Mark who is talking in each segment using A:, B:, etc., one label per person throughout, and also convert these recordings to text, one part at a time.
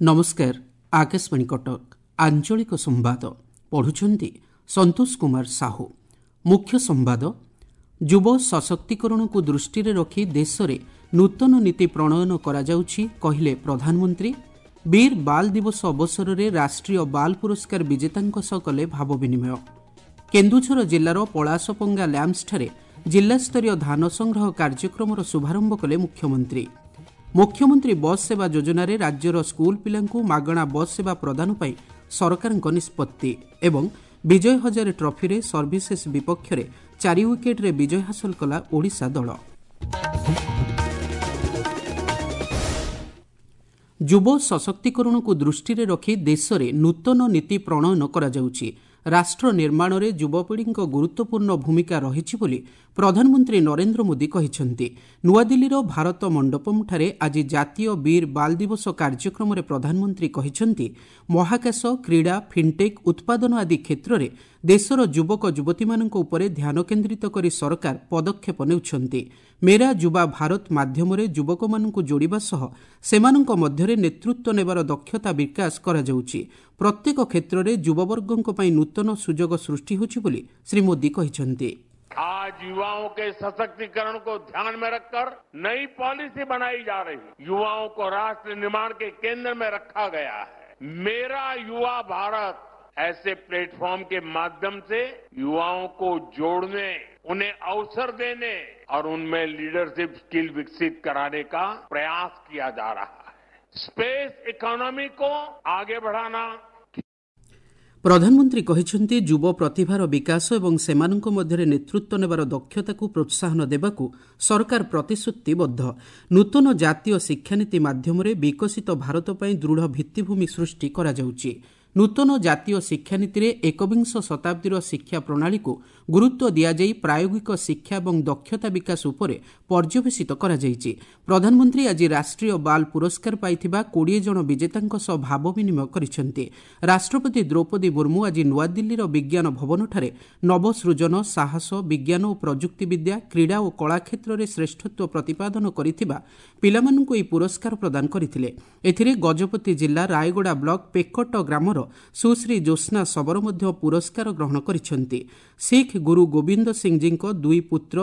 A: ନମସ୍କାର, ଆକାଶବାଣୀ କଟକ, ଆଞ୍ଚଳିକ ସମ୍ବାଦ ପଢୁଛନ୍ତି ସନ୍ତୋଷ କୁମାର ସାହୁ। ମୁଖ୍ୟ ସମ୍ବାଦ। ଯୁବ ସଶକ୍ତିକରଣକୁ ଦୃଷ୍ଟିରେ ରଖି ଦେଶରେ ନୂତନ ନୀତି ପ୍ରଣୟନ କରାଯାଉଛି, କହିଲେ ପ୍ରଧାନମନ୍ତ୍ରୀ। ବୀର ବାଲ ଦିବସ ଅବସରରେ ରାଷ୍ଟ୍ରୀୟ ବାଲ ପୁରସ୍କାର ବିଜେତାଙ୍କ ସହ କଲେ ଭାବ ବିନିମୟ। କେନ୍ଦୁଝର ଜିଲ୍ଲାର ପଳାଶପଙ୍ଗା ଲ୍ୟାମ୍ପସଠାରେ ଜିଲ୍ଲାସ୍ତରୀୟ ଧାନ ସଂଗ୍ରହ କାର୍ଯ୍ୟକ୍ରମର ଶୁଭାରମ୍ଭ କଲେ ମୁଖ୍ୟମନ୍ତ୍ରୀ। ମୁଖ୍ୟମନ୍ତ୍ରୀ ବସ୍ ସେବା ଯୋଜନାରେ ରାଜ୍ୟର ସ୍କୁଲ ପିଲାଙ୍କୁ ମାଗଣା ବସ୍ ସେବା ପ୍ରଦାନ ପାଇଁ ସରକାରଙ୍କ ନିଷ୍ପତ୍ତି। ଏବଂ ବିଜୟ ହଜାରେ ଟ୍ରଫିରେ ସର୍ଭିସେସ୍ ବିପକ୍ଷରେ 4 ୱିକେଟ୍ରେ ବିଜୟ ହାସଲ କଲା ଓଡ଼ିଶା ଦଳ। ଯୁବ ସଶକ୍ତିକରଣକୁ ଦୃଷ୍ଟିରେ ରଖି ଦେଶରେ ନୂତନ ନୀତି ପ୍ରଣୟନ କରାଯାଉଛି। ରାଷ୍ଟ୍ର ନିର୍ମାଣରେ ଯୁବପିଢ଼ିଙ୍କ ଗୁରୁତ୍ୱପୂର୍ଣ୍ଣ ଭୂମିକା ରହିଛି ବୋଲି ପ୍ରଧାନମନ୍ତ୍ରୀ ନରେନ୍ଦ୍ର ମୋଦି କହିଛନ୍ତି। ନୂଆଦିଲ୍ଲୀର ଭାରତ ମଣ୍ଡପମ୍ଠାରେ ଆଜି ଜାତୀୟ ବୀର ବାଲ ଦିବସ କାର୍ଯ୍ୟକ୍ରମରେ ପ୍ରଧାନମନ୍ତ୍ରୀ କହିଛନ୍ତି, ମହାକାଶ, କ୍ରୀଡ଼ା, ଫିନ୍ଟେକ୍, ଉତ୍ପାଦନ ଆଦି କ୍ଷେତ୍ରରେ ଦେଶର ଯୁବକ ଯୁବତୀମାନଙ୍କ ଉପରେ ଧ୍ୟାନ କେନ୍ଦ୍ରିତ କରି ସରକାର ପଦକ୍ଷେପ ନେଉଛନ୍ତି। ମେରା ଯୁବା ଭାରତ ମାଧ୍ୟମରେ ଯୁବକମାନଙ୍କୁ ଯୋଡ଼ିବା ସହ ସେମାନଙ୍କ ମଧ୍ୟରେ ନେତୃତ୍ୱ ନେବାର ଦକ୍ଷତା ବିକାଶ କରାଯାଉଛି। ପ୍ରତ୍ୟେକ କ୍ଷେତ୍ରରେ ଯୁବବର୍ଗଙ୍କ ପାଇଁ ନୂତନ ସୁଯୋଗ ସୃଷ୍ଟି ହେଉଛି ବୋଲି ଶ୍ରୀ ମୋଦି କହିଛନ୍ତି।
B: आज युवाओं के सशक्तिकरण को ध्यान में रखकर नई पॉलिसी बनाई जा रही है। युवाओं को राष्ट्र निर्माण के केंद्र में रखा गया है। मेरा युवा भारत ऐसे प्लेटफॉर्म के माध्यम से युवाओं को जोड़ने, उन्हें अवसर देने और उनमें लीडरशिप स्किल विकसित कराने का प्रयास किया जा रहा है। स्पेस इकोनॉमी को आगे बढ़ाना।
A: ପ୍ରଧାନମନ୍ତ୍ରୀ କହିଛନ୍ତି, ଯୁବ ପ୍ରତିଭାର ବିକାଶ ଏବଂ ସେମାନଙ୍କ ମଧ୍ୟରେ ନେତୃତ୍ୱ ନେବାର ଦକ୍ଷତାକୁ ପ୍ରୋତ୍ସାହନ ଦେବାକୁ ସରକାର ପ୍ରତିଶ୍ରୁତିବଦ୍ଧ। ନୂତନ ଜାତୀୟ ଶିକ୍ଷାନୀତି ମାଧ୍ୟମରେ ବିକଶିତ ଭାରତ ପାଇଁ ଦୃଢ଼ ଭିତ୍ତିଭୂମି ସୃଷ୍ଟି କରାଯାଉଛି। ନୂତନ ଜାତୀୟ ଶିକ୍ଷାନୀତିରେ ଏକବିଂଶ ଶତାବ୍ଦୀର ଶିକ୍ଷା ପ୍ରଣାଳୀକୁ ଗୁରୁତ୍ୱ ଦିଆଯାଇ ପ୍ରାୟୋଗିକ ଶିକ୍ଷା ଏବଂ ଦକ୍ଷତା ବିକାଶ ଉପରେ ପର୍ଯ୍ୟବେସିତ କରାଯାଇଛି। ପ୍ରଧାନମନ୍ତ୍ରୀ ଆଜି ରାଷ୍ଟ୍ରୀୟ ବାଲ ପୁରସ୍କାର ପାଇଥିବା 20 ଜଣ ବିଜେତାଙ୍କ ସହ ଭାବ ବିନିମୟ କରିଛନ୍ତି। ରାଷ୍ଟ୍ରପତି ଦ୍ରୌପଦୀ ମୁର୍ମୁ ଆଜି ନୂଆଦିଲ୍ଲୀର ବିଜ୍ଞାନ ଭବନଠାରେ ନବସୃଜନ, ସାହସ, ବିଜ୍ଞାନ ଓ ପ୍ରଯୁକ୍ତିବିଦ୍ୟା, କ୍ରୀଡ଼ା ଓ କଳା କ୍ଷେତ୍ରରେ ଶ୍ରେଷ୍ଠତ୍ୱ ପ୍ରତିପାଦନ କରିଥିବା ପିଲାମାନଙ୍କୁ ଏହି ପୁରସ୍କାର ପ୍ରଦାନ କରିଥିଲେ। ଏଥିରେ ଗଜପତି ଜିଲ୍ଲା ରାୟଗଡ଼ା ବ୍ଲକ ପେକଟ ଗ୍ରାମର ସୁଶ୍ରୀ ଜ୍ୟୋତ୍ସ୍ନା ଶବର ମଧ୍ୟ ପୁରସ୍କାର ଗ୍ରହଣ କରିଛନ୍ତି। ଶିଖ୍ ଗୁରୁ ଗୋବିନ୍ଦ ସିଂଜୀଙ୍କ ଦୁଇ ପୁତ୍ର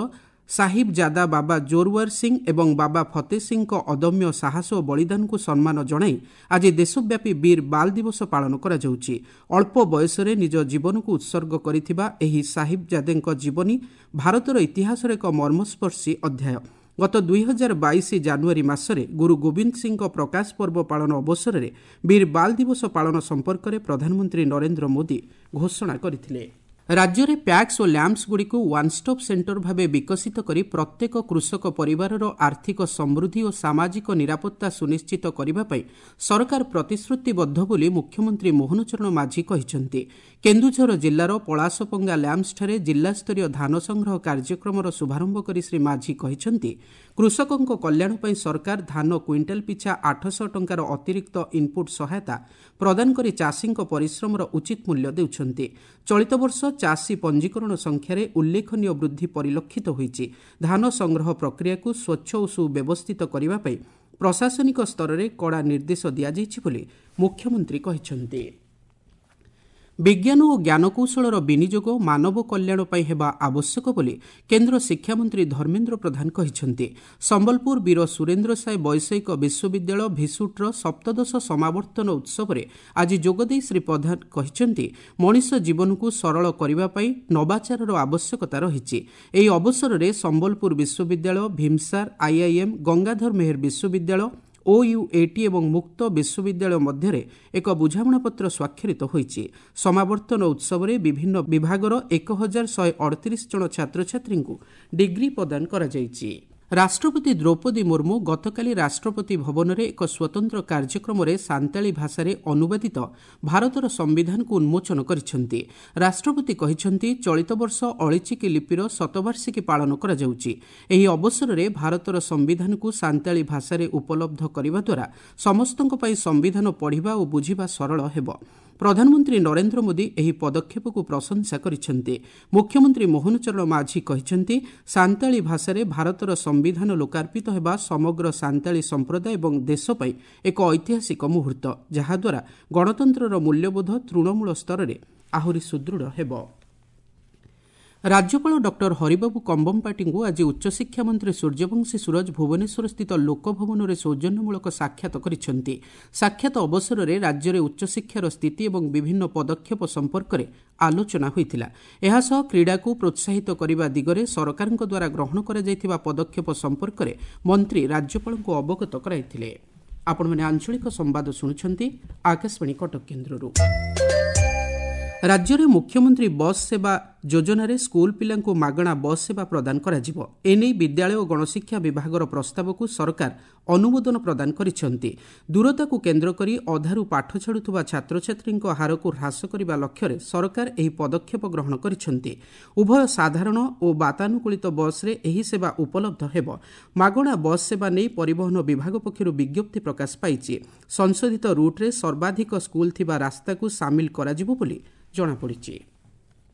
A: ସାହିବଜାଦା ବାବା ଜୋରୱାର ସିଂ ଏବଂ ବାବା ଫତେ ସିଂଙ୍କ ଅଦମ୍ୟ ସାହସ ଓ ବଳିଦାନକୁ ସମ୍ମାନ ଜଣାଇ ଆଜି ଦେଶବ୍ୟାପୀ ବୀର ବାଲ ଦିବସ ପାଳନ କରାଯାଉଛି। ଅଳ୍ପ ବୟସରେ ନିଜ ଜୀବନକୁ ଉତ୍ସର୍ଗ କରିଥିବା ଏହି ସାହିବଜାଦେଙ୍କ ଜୀବନୀ ଭାରତର ଇତିହାସର ଏକ ମର୍ମସ୍ପର୍ଶୀ ଅଧ୍ୟାୟ। ଗତ 2022 ଜାନୁଆରୀ ମାସରେ ଗୁରୁ ଗୋବିନ୍ଦ ସିଂଙ୍କ ପ୍ରକାଶ ପର୍ବ ପାଳନ ଅବସରରେ ବୀର ବାଲ ଦିବସ ପାଳନ ସମ୍ପର୍କରେ ପ୍ରଧାନମନ୍ତ୍ରୀ ନରେନ୍ଦ୍ର ମୋଦି ଘୋଷଣା କରିଥିଲେ। ରାଜ୍ୟରେ ପ୍ୟାକ୍ସ ଓ ଲ୍ୟାମ୍ପସଗୁଡ଼ିକୁ ୱାନ୍ଷ୍ଟପ୍ ସେଣ୍ଟର ଭାବେ ବିକଶିତ କରି ପ୍ରତ୍ୟେକ କୃଷକ ପରିବାରର ଆର୍ଥିକ ସମୃଦ୍ଧି ଓ ସାମାଜିକ ନିରାପତ୍ତା ସୁନିଶ୍ଚିତ କରିବା ପାଇଁ ସରକାର ପ୍ରତିଶ୍ରୁତିବଦ୍ଧ ବୋଲି ମୁଖ୍ୟମନ୍ତ୍ରୀ ମୋହନ ଚରଣ ମାଝୀ କହିଛନ୍ତି। କେନ୍ଦୁଝର ଜିଲ୍ଲାର ପଳାଶପଙ୍ଗା ଲ୍ୟାମ୍ପସଠାରେ ଜିଲ୍ଲାସ୍ତରୀୟ ଧାନ ସଂଗ୍ରହ କାର୍ଯ୍ୟକ୍ରମର ଶୁଭାରମ୍ଭ କରି ଶ୍ରୀ ମାଝୀ କହିଛନ୍ତି, କୃଷକଙ୍କ କଲ୍ୟାଣ ପାଇଁ ସରକାର ଧାନ କୁଇଣ୍ଟାଲ ପିଛା 800 ଟଙ୍କାର ଅତିରିକ୍ତ ଇନ୍ପୁଟ୍ ସହାୟତା ପ୍ରଦାନ କରି ଚାଷୀଙ୍କ ପରିଶ୍ରମର ଉଚିତ ମୂଲ୍ୟ ଦେଉଛନ୍ତି। ଚଳିତ ବର୍ଷ ଚାଷୀ ପଞ୍ଜୀକରଣ ସଂଖ୍ୟାରେ ଉଲ୍ଲେଖନୀୟ ବୃଦ୍ଧି ପରିଲକ୍ଷିତ ହୋଇଛି। ଧାନ ସଂଗ୍ରହ ପ୍ରକ୍ରିୟାକୁ ସ୍ୱଚ୍ଛ ଓ ସୁବ୍ୟବସ୍ଥିତ କରିବା ପାଇଁ ପ୍ରଶାସନିକ ସ୍ତରରେ କଡ଼ା ନିର୍ଦ୍ଦେଶ ଦିଆଯାଇଛି ବୋଲି ମୁଖ୍ୟମନ୍ତ୍ରୀ କହିଛନ୍ତି। ବିଜ୍ଞାନ ଓ ଜ୍ଞାନକୌଶଳର ବିନିଯୋଗ ମାନବ କଲ୍ୟାଣ ପାଇଁ ହେବା ଆବଶ୍ୟକ ବୋଲି କେନ୍ଦ୍ର ଶିକ୍ଷାମନ୍ତ୍ରୀ ଧର୍ମେନ୍ଦ୍ର ପ୍ରଧାନ କହିଛନ୍ତି। ସମ୍ବଲପୁର ବୀର ସୁରେନ୍ଦ୍ର ସାଏ ବୈଷୟିକ ବିଶ୍ୱବିଦ୍ୟାଳୟ ଭିସୁଟ୍ର ସପ୍ତଦଶ ସମାବର୍ତ୍ତନ ଉତ୍ସବରେ ଆଜି ଯୋଗଦେଇ ଶ୍ରୀ ପ୍ରଧାନ କହିଛନ୍ତି, ମଣିଷ ଜୀବନକୁ ସରଳ କରିବା ପାଇଁ ନବାଚାରର ଆବଶ୍ୟକତା ରହିଛି। ଏହି ଅବସରରେ ସମ୍ବଲପୁର ବିଶ୍ୱବିଦ୍ୟାଳୟ, ଭୀମସାର, ଆଇଆଇଏମ୍, ଗଙ୍ଗାଧର ମେହେର ବିଶ୍ୱବିଦ୍ୟାଳୟ, ଓୟୁଏଟି ଏବଂ ମୁକ୍ତ ବିଶ୍ୱବିଦ୍ୟାଳୟ ମଧ୍ୟରେ ଏକ ବୁଝାମଣାପତ୍ର ସ୍ୱାକ୍ଷରିତ ହୋଇଛି। ସମାବର୍ତ୍ତନ ଉତ୍ସବରେ ବିଭିନ୍ନ ବିଭାଗର 1138 ଜଣ ଛାତ୍ରଛାତ୍ରୀଙ୍କୁ ଡିଗ୍ରୀ ପ୍ରଦାନ କରାଯାଇଛି। ରାଷ୍ଟ୍ରପତି ଦ୍ରୌପଦୀ ମୁର୍ମୁ ଗତକାଲି ରାଷ୍ଟ୍ରପତି ଭବନରେ ଏକ ସ୍ୱତନ୍ତ୍ର କାର୍ଯ୍ୟକ୍ରମରେ ସାନ୍ତାଳୀ ଭାଷାରେ ଅନୁବାଦିତ ଭାରତର ସମ୍ବିଧାନକୁ ଉନ୍ମୋଚନ କରିଛନ୍ତି। ରାଷ୍ଟ୍ରପତି କହିଛନ୍ତି, ଚଳିତ ବର୍ଷ ଅଳିଚିକି ଲିପିର ଶତବାର୍ଷିକୀ ପାଳନ କରାଯାଉଛି। ଏହି ଅବସରରେ ଭାରତର ସମ୍ବିଧାନକୁ ସାନ୍ତାଳୀ ଭାଷାରେ ଉପଲବ୍ଧ କରିବା ଦ୍ୱାରା ସମସ୍ତଙ୍କ ପାଇଁ ସମ୍ବିଧାନ ପଢ଼ିବା ଓ ବୁଝିବା ସରଳ ହେବ। ପ୍ରଧାନମନ୍ତ୍ରୀ ନରେନ୍ଦ୍ର ମୋଦି ଏହି ପଦକ୍ଷେପକୁ ପ୍ରଶଂସା କରିଛନ୍ତି। ମୁଖ୍ୟମନ୍ତ୍ରୀ ମୋହନ ଚରଣ ମାଝୀ କହିଛନ୍ତି, ସାନ୍ତାଳୀ ଭାଷାରେ ଭାରତର ସମ୍ବିଧାନ ଲୋକାର୍ପିତ ହେବା ସମଗ୍ର ସାନ୍ତାଳୀ ସମ୍ପ୍ରଦାୟ ଏବଂ ଦେଶ ପାଇଁ ଏକ ଐତିହାସିକ ମୁହୂର୍ତ୍ତ, ଯାହାଦ୍ୱାରା ଗଣତନ୍ତ୍ରର ମୂଲ୍ୟବୋଧ ତୃଣମୂଳ ସ୍ତରରେ ଆହୁରି ସୁଦୃଢ଼ ହେବ। ରାଜ୍ୟପାଳ ଡକ୍ଟର ହରିବାବୁ କମ୍ବମପାଟିଙ୍କୁ ଆଜି ଉଚ୍ଚଶିକ୍ଷା ମନ୍ତ୍ରୀ ସୂର୍ଯ୍ୟବଂଶୀ ସୂରଜ ଭୁବନେଶ୍ୱରସ୍ଥିତ ଲୋକଭବନରେ ସୌଜନ୍ୟମୂଳକ ସାକ୍ଷାତ କରିଛନ୍ତି। ସାକ୍ଷାତ ଅବସରରେ ରାଜ୍ୟରେ ଉଚ୍ଚଶିକ୍ଷାର ସ୍ଥିତି ଏବଂ ବିଭିନ୍ନ ପଦକ୍ଷେପ ସମ୍ପର୍କରେ ଆଲୋଚନା ହୋଇଥିଲା। ଏହାସହ କ୍ରୀଡ଼ାକୁ ପ୍ରୋତ୍ସାହିତ କରିବା ଦିଗରେ ସରକାରଙ୍କ ଦ୍ୱାରା ଗ୍ରହଣ କରାଯାଇଥିବା ପଦକ୍ଷେପ ସମ୍ପର୍କରେ ମନ୍ତ୍ରୀ ରାଜ୍ୟପାଳଙ୍କୁ ଅବଗତ କରାଇଥିଲେ। ଆପଣମାନେ ଆଞ୍ଚଳିକ ସମ୍ବାଦ ଶୁଣୁଛନ୍ତି ଆକାଶବାଣୀ କଟକ କେନ୍ଦ୍ରରୁ। ରାଜ୍ୟରେ ମୁଖ୍ୟମନ୍ତ୍ରୀ ବସ୍ ସେବା ଯୋଜନାରେ ସ୍କୁଲ ପିଲାଙ୍କୁ ମାଗଣା ବସ୍ ସେବା ପ୍ରଦାନ କରାଯିବ। ଏନେଇ ବିଦ୍ୟାଳୟ ଓ ଗଣଶିକ୍ଷା ବିଭାଗର ପ୍ରସ୍ତାବକୁ ସରକାର ଅନୁମୋଦନ ପ୍ରଦାନ କରିଛନ୍ତି। ଦୂରତାକୁ କେନ୍ଦ୍ର କରି ଅଧାରୁ ପାଠ ଛାଡୁଥିବା ଛାତ୍ରଛାତ୍ରୀଙ୍କ ହାରକୁ ହ୍ରାସ କରିବା ଲକ୍ଷ୍ୟରେ ସରକାର ଏହି ପଦକ୍ଷେପ ଗ୍ରହଣ କରିଛନ୍ତି। ଉଭୟ ସାଧାରଣ ଓ ବାତାନୁକୂଳିତ ବସ୍ରେ ଏହି ସେବା ଉପଲବ୍ଧ ହେବ। ମାଗଣା ବସ୍ ସେବା ନେଇ ପରିବହନ ବିଭାଗ ପକ୍ଷରୁ ବିଜ୍ଞପ୍ତି ପ୍ରକାଶ ପାଇଛି। ସଂଶୋଧିତ ରୁଟ୍ରେ ସର୍ବାଧିକ ସ୍କୁଲ ଥିବା ରାସ୍ତାକୁ ସାମିଲ କରାଯିବ ବୋଲି ଜଣାପଡ଼ିଛି।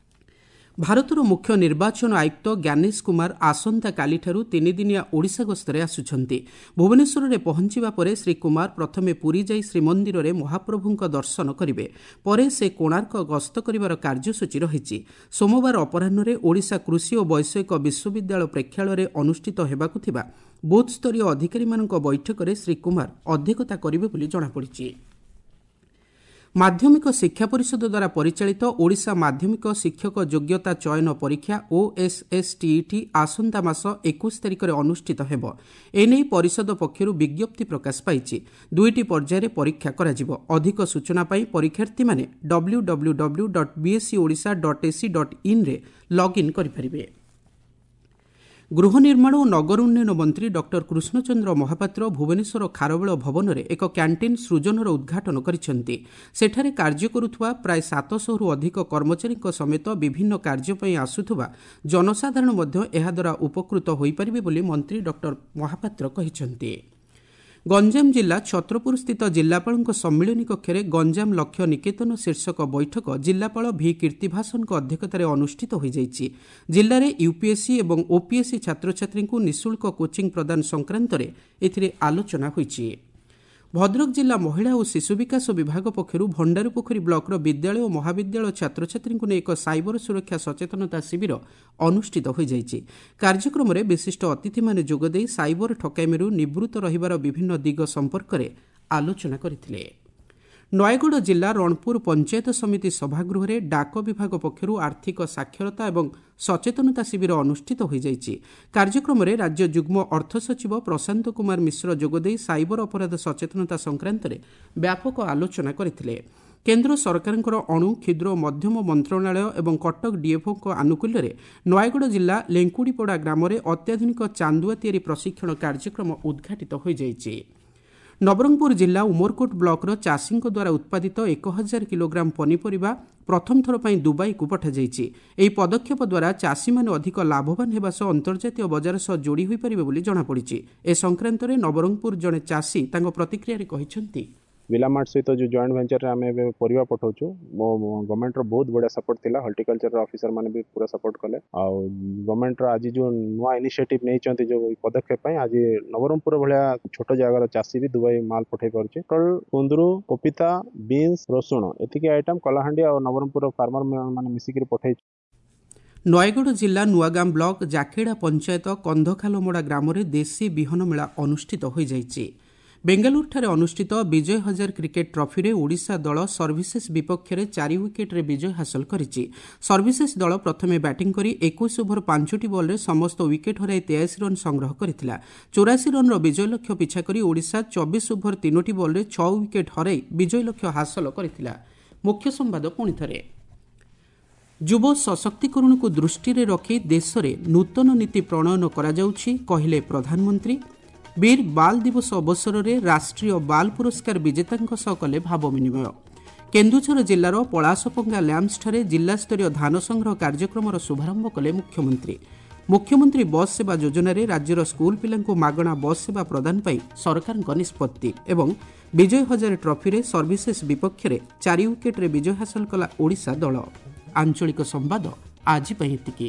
A: ଭାରତର ମୁଖ୍ୟ ନିର୍ବାଚନ ଆୟୁକ୍ତ ଜ୍ଞାନେଶ କୁମାର ଆସନ୍ତାକାଲିଠାରୁ ତିନିଦିନିଆ ଓଡ଼ିଶା ଗସ୍ତରେ ଆସୁଛନ୍ତି। ଭୁବନେଶ୍ୱରରେ ପହଞ୍ଚିବା ପରେ ଶ୍ରୀ କୁମାର ପ୍ରଥମେ ପୁରୀ ଯାଇ ଶ୍ରୀମନ୍ଦିରରେ ମହାପ୍ରଭୁଙ୍କ ଦର୍ଶନ କରିବେ। ପରେ ସେ କୋଣାର୍କ ଗସ୍ତ କରିବାର କାର୍ଯ୍ୟସୂଚୀ ରହିଛି। ସୋମବାର ଅପରାହ୍ନରେ ଓଡ଼ିଶା କୃଷି ଓ ବୈଷୟିକ ବିଶ୍ୱବିଦ୍ୟାଳୟ ପ୍ରେକ୍ଷାଳୟରେ ଅନୁଷ୍ଠିତ ହେବାକୁ ଥିବା ବୁଥ୍ସ୍ତରୀୟ ଅଧିକାରୀମାନଙ୍କ ବୈଠକରେ ଶ୍ରୀ କୁମାର ଅଧ୍ୟକ୍ଷତା କରିବେ ବୋଲି ଜଣାପଡ଼ିଛି। ମାଧ୍ୟମିକ ଶିକ୍ଷା ପରିଷଦ ଦ୍ୱାରା ପରିଚାଳିତ ଓଡ଼ିଶା ମାଧ୍ୟମିକ ଶିକ୍ଷକ ଯୋଗ୍ୟତା ଚୟନ ପରୀକ୍ଷା ଓଏସ୍ଏସ୍ଟିଇଟି ଆସନ୍ତା ମାସ 21 ତାରିଖରେ ଅନୁଷ୍ଠିତ ହେବ। ଏନେଇ ପରିଷଦ ପକ୍ଷରୁ ବିଜ୍ଞପ୍ତି ପ୍ରକାଶ ପାଇଛି। ଦୁଇଟି ପର୍ଯ୍ୟାୟରେ ପରୀକ୍ଷା କରାଯିବ। ଅଧିକ ସୂଚନା ପାଇଁ ପରୀକ୍ଷାର୍ଥୀମାନେ W W W dot BSE Odisha dot AC dot ଇନ୍ରେ login କରିପାରିବେ। ଗୃହ ନିର୍ମାଣ ଓ ନଗର ଉନ୍ନୟନ ମନ୍ତ୍ରୀ ଡକ୍ଟର କୃଷ୍ଣଚନ୍ଦ୍ର ମହାପାତ୍ର ଭୁବନେଶ୍ୱର ଖାରବେଳ ଭବନରେ ଏକ କ୍ୟାଣ୍ଟିନ୍ ସୃଜନର ଉଦ୍ଘାଟନ କରିଛନ୍ତି। ସେଠାରେ କାର୍ଯ୍ୟ କରୁଥିବା ପ୍ରାୟ 700ରୁ ଅଧିକ କର୍ମଚାରୀଙ୍କ ସମେତ ବିଭିନ୍ନ କାର୍ଯ୍ୟ ପାଇଁ ଆସୁଥିବା ଜନସାଧାରଣ ମଧ୍ୟ ଏହାଦ୍ୱାରା ଉପକୃତ ହୋଇପାରିବେ ବୋଲି ମନ୍ତ୍ରୀ ଡକ୍ଟର ମହାପାତ୍ର କହିଛନ୍ତି। ଗଞ୍ଜାମ ଜିଲ୍ଲା ଛତ୍ରପୁରସ୍ଥିତ ଜିଲ୍ଲାପାଳଙ୍କ ସମ୍ମିଳନୀ କକ୍ଷରେ ଗଞ୍ଜାମ ଲକ୍ଷ୍ୟ ନିକେତନ ଶୀର୍ଷକ ବୈଠକ ଜିଲ୍ଲାପାଳ ଭି କୀର୍ତ୍ତିଭାସନଙ୍କ ଅଧ୍ୟକ୍ଷତାରେ ଅନୁଷ୍ଠିତ ହୋଇଯାଇଛି। ଜିଲ୍ଲାରେ ୟୁପିଏସ୍ସି ଏବଂ ଓପିଏସ୍ସି ଛାତ୍ରଛାତ୍ରୀଙ୍କୁ ନିଃଶୁଳ୍କ କୋଚିଂ ପ୍ରଦାନ ସଂକ୍ରାନ୍ତରେ ଏଥିରେ ଆଲୋଚନା ହୋଇଛି। ଭଦ୍ରକ ଜିଲ୍ଲା ମହିଳା ଓ ଶିଶୁ ବିକାଶ ବିଭାଗ ପକ୍ଷରୁ ଭଣ୍ଡାରୀପୋଖରୀ ବ୍ଲକର ବିଦ୍ୟାଳୟ ଓ ମହାବିଦ୍ୟାଳୟ ଛାତ୍ରଛାତ୍ରୀଙ୍କୁ ନେଇ ଏକ ସାଇବର ସୁରକ୍ଷା ସଚେତନତା ଶିବିର ଅନୁଷ୍ଠିତ ହୋଇଯାଇଛି। କାର୍ଯ୍ୟକ୍ରମରେ ବିଶିଷ୍ଟ ଅତିଥିମାନେ ଯୋଗଦେଇ ସାଇବର ଠକାମିରୁ ନିବୃତ୍ତ ରହିବାର ବିଭିନ୍ନ ଦିଗ ସମ୍ପର୍କରେ ଆଲୋଚନା କରିଥିଲେ। ନୟାଗଡ଼ ଜିଲ୍ଲା ରଣପୁର ପଞ୍ଚାୟତ ସମିତି ସଭାଗୃହରେ ଡାକ ବିଭାଗ ପକ୍ଷରୁ ଆର୍ଥିକ ସାକ୍ଷରତା ଏବଂ ସଚେତନତା ଶିବିର ଅନୁଷ୍ଠିତ ହୋଇଯାଇଛି। କାର୍ଯ୍ୟକ୍ରମରେ ରାଜ୍ୟ ଯୁଗ୍ମ ଅର୍ଥ ସଚିବ ପ୍ରଶାନ୍ତ କୁମାର ମିଶ୍ର ଯୋଗଦେଇ ସାଇବର ଅପରାଧ ସଚେତନତା ସଂକ୍ରାନ୍ତରେ ବ୍ୟାପକ ଆଲୋଚନା କରିଥିଲେ। କେନ୍ଦ୍ର ସରକାରଙ୍କର ଅଣୁ, କ୍ଷୁଦ୍ର ଓ ମଧ୍ୟମ ମନ୍ତ୍ରଣାଳୟ ଏବଂ କଟକ ଡିଏଫ୍ଓଙ୍କ ଆନୁକୂଲ୍ୟରେ ନୟାଗଡ଼ ଜିଲ୍ଲା ଲେଙ୍କୁଡ଼ିପଡ଼ା ଗ୍ରାମରେ ଅତ୍ୟାଧୁନିକ ଚାନ୍ଦୁଆ ତିଆରି ପ୍ରଶିକ୍ଷଣ କାର୍ଯ୍ୟକ୍ରମ ଉଦ୍ଘାଟିତ ହୋଇଯାଇଛି। ନବରଙ୍ଗପୁର ଜିଲ୍ଲା ଉମରକୋଟ ବ୍ଲକର ଚାଷୀଙ୍କ ଦ୍ୱାରା ଉତ୍ପାଦିତ 1000 କିଲୋଗ୍ରାମ ପନିପରିବା ପ୍ରଥମ ଥର ପାଇଁ ଦୁବାଇକୁ ପଠାଯାଇଛି। ଏହି ପଦକ୍ଷେପ ଦ୍ୱାରା ଚାଷୀମାନେ ଅଧିକ ଲାଭବାନ ହେବା ସହ ଅନ୍ତର୍ଜାତୀୟ ବଜାର ସହ ଯୋଡ଼ି ହୋଇପାରିବେ ବୋଲି ଜଣାପଡ଼ିଛି। ଏ ସଂକ୍ରାନ୍ତରେ ନବରଙ୍ଗପୁର ଜଣେ ଚାଷୀ ତାଙ୍କ ପ୍ରତିକ୍ରିୟାରେ କହିଛନ୍ତି,
C: ବିଲାମାର୍ଟ ସହିତ ଯେଉଁ ଜଏଣ୍ଟ ଭେଞ୍ଚରରେ ଆମେ ଏବେ ପରିବା ପଠାଉଛୁ, ମୋ ଗଭର୍ଣ୍ଣମେଣ୍ଟର ବହୁତ ବଢ଼ିଆ ସପୋର୍ଟ ଥିଲା। ହର୍ଟିକଲଚର ଅଫିସର ମାନେ ବି ପୁରା ସପୋର୍ଟ କଲେ। ଆଉ ଗଭର୍ଣ୍ଣମେଣ୍ଟର ଆଜି ଯେଉଁ ନୂଆ ଇନିସିଏଟିଭ୍ ନେଇଛନ୍ତି ଯେଉଁ ପଦକ୍ଷେପ ପାଇଁ, ଆଜି ନବରଙ୍ଗପୁର ଭଳିଆ ଛୋଟ ଜାଗାର ଚାଷୀ ବି ଦୁବାଇ ମାଲ ପଠାଇ ପାରୁଛି। ପୋଟଳ, କୁନ୍ଦୁରୁ, ପପିତା, ବିନ୍ସ, ରସୁଣ ଏତିକି ଆଇଟମ୍ କଳାହାଣ୍ଡି ଆଉ ନବରଙ୍ଗପୁର ଫାର୍ମର ମାନେ ମିଶିକିରି ପଠାଇଛୁ।
A: ନୟାଗଡ଼ ଜିଲ୍ଲା ନୂଆଗାଁ ବ୍ଲକ ଜାକେଡ଼ା ପଞ୍ଚାୟତ କନ୍ଧଖାଲମଡ଼ା ଗ୍ରାମରେ ଦେଶୀ ବିହନ ମେଳା ଅନୁଷ୍ଠିତ ହୋଇଯାଇଛି। ବେଙ୍ଗାଲୁରୁଠାରେ ଅନୁଷ୍ଠିତ ବିଜୟ ହଜାର କ୍ରିକେଟ୍ ଟ୍ରଫିରେ ଓଡ଼ିଶା ଦଳ ସର୍ଭିସେସ୍ ବିପକ୍ଷରେ 4 ୱିକେଟ୍ରେ ବିଜୟ ହାସଲ କରିଛି। ସର୍ଭିସେସ୍ ଦଳ ପ୍ରଥମେ ବ୍ୟାଟିଂ କରି 21 ଓଭର 5ଟି ବଲ୍ରେ ସମସ୍ତ ୱିକେଟ୍ ହରାଇ 83 ରନ୍ ସଂଗ୍ରହ କରିଥିଲା। 84 ରନ୍ର ବିଜୟ ଲକ୍ଷ୍ୟ ପିଛା କରି ଓଡ଼ିଶା 24 ଓଭର 3ଟି ବଲ୍ରେ 6 ୱିକେଟ୍ ହରାଇ ବିଜୟ ଲକ୍ଷ୍ୟ ହାସଲ କରିଥିଲା। ମୁଖ୍ୟ ସମ୍ବାଦ ପୁଣି ଥରେ। ଯୁବ ସଶକ୍ତିକରଣକୁ ଦୃଷ୍ଟିରେ ରଖି ଦେଶରେ ନୂତନ ନୀତି ପ୍ରଣୟନ କରାଯାଉଛି, କହିଲେ ପ୍ରଧାନମନ୍ତ୍ରୀ। ବୀର ବାଲ ଦିବସ ଅବସରରେ ରାଷ୍ଟ୍ରୀୟ ବାଲ ପୁରସ୍କାର ବିଜେତାଙ୍କ ସହ କଲେ ଭାବ ବିନିମୟ। କେନ୍ଦୁଝର ଜିଲ୍ଲାର ପଳାସପଙ୍ଗା ଲ୍ୟାମ୍ପସଠାରେ ଜିଲ୍ଲାସ୍ତରୀୟ ଧାନ ସଂଗ୍ରହ କାର୍ଯ୍ୟକ୍ରମର ଶୁଭାରମ୍ଭ କଲେ ମୁଖ୍ୟମନ୍ତ୍ରୀ। ମୁଖ୍ୟମନ୍ତ୍ରୀ ବସ୍ ସେବା ଯୋଜନାରେ ରାଜ୍ୟର ସ୍କୁଲ ପିଲାଙ୍କୁ ମାଗଣା ବସ୍ ସେବା ପ୍ରଦାନ ପାଇଁ ସରକାରଙ୍କ ନିଷ୍ପତ୍ତି ଏବଂ ବିଜୟ ହଜାରେ ଟ୍ରଫିରେ ସର୍ଭିସେସ୍ ବିପକ୍ଷରେ 4 ୱିକେଟ୍ରେ ବିଜୟ ହାସଲ କଲା ଓଡ଼ିଶା ଦଳ। ଆଞ୍ଚଳିକ ସମ୍ବାଦ ଆଜି ପାଇଁ ଏତିକି।